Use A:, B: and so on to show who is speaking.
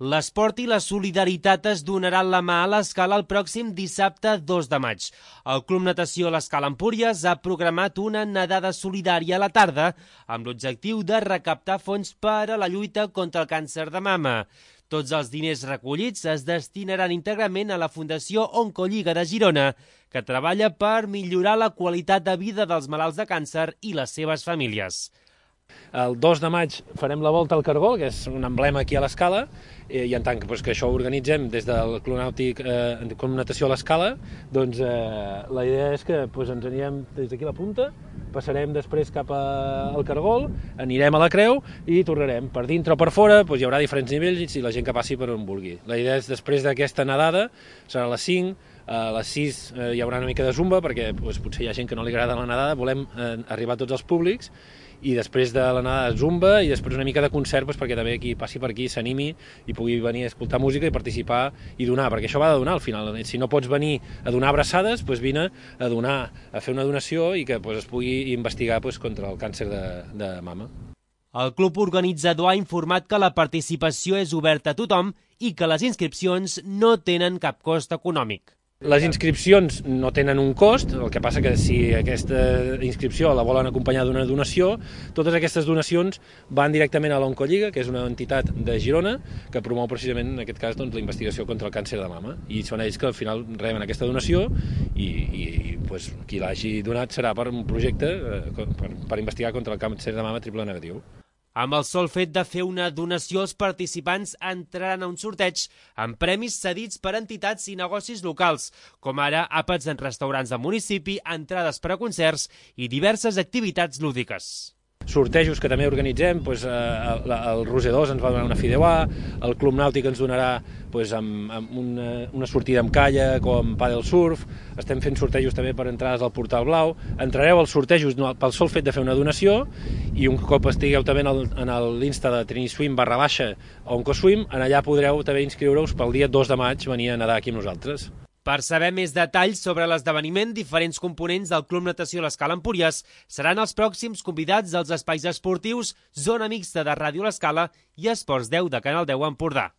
A: L'esport i la solidaritat es donaran la mà a l'Escala el pròxim dissabte 2 de maig. El Club Natació l'Escala Empúries ha programat una nedada solidària a la tarda amb l'objectiu de recaptar fons per a la lluita contra el càncer de mama. Tots els diners recollits es destinaran íntegrament a la Fundació Oncolliga de Girona, que treballa per millorar la qualitat de vida dels malalts de càncer i les seves famílies.
B: El 2 de maig farem la volta al Cargol, que és un emblema aquí a l'Escala, i en tant que això ho organitzem des del Club Nàutic Club Natació a l'Escala, doncs la idea és que ens anirem des d'aquí a la punta, passarem després cap al Cargol, anirem a la Creu i tornarem. Per dintre o per fora hi haurà diferents nivells i la gent que passi per on vulgui. La idea és després d'aquesta nedada, serà a les 5, a les 6 hi haurà una mica de zumba, perquè potser hi ha gent que no li agrada la nedada, volem arribar a tots els públics, i després de la nedada zumba i després una mica de concert perquè també qui passi per aquí s'animi i pugui venir a escoltar música i participar i donar, perquè això va de donar al final. Si no pots venir a donar abraçades, vine a donar, a fer una donació i que es pugui investigar contra el càncer de mama.
A: El club organitzador ha informat que la participació és oberta a tothom i que les inscripcions no tenen cap cost econòmic.
B: Les inscripcions no tenen un cost, el que passa que si aquesta inscripció la volen acompanyar d'una donació, totes aquestes donacions van directament a l'Oncolliga, que és una entitat de Girona que promou precisament, en aquest cas, la investigació contra el càncer de mama. I són ells que al final reben aquesta donació i qui l'hagi donat serà per un projecte per investigar contra el càncer de mama triple negatiu.
A: Amb el sol fet de fer una donació, els participants entraran a un sorteig amb premis cedits per entitats i negocis locals, com ara àpats en restaurants del municipi, entrades per a concerts i diverses activitats lúdiques.
B: Sortejos que també organitzem, el Roser 2 ens va donar una fideuà, el Club Nàutic ens donarà amb una sortida amb calla, com pàdel surf, estem fent sortejos també per entrades al Portal Blau, entrareu als sortejos pel sol fet de fer una donació i un cop estigueu també en l'Insta de triniswim_oncoswim, allà podreu també inscriure-us pel dia 2 de maig venir a nedar aquí amb nosaltres.
A: Per saber més detalls sobre l'esdeveniment, diferents components del Club Natació l'Escala Empúries seran els pròxims convidats dels espais esportius Zona Mixta de Ràdio l'Escala i Esports 10 de Canal 10 Empordà.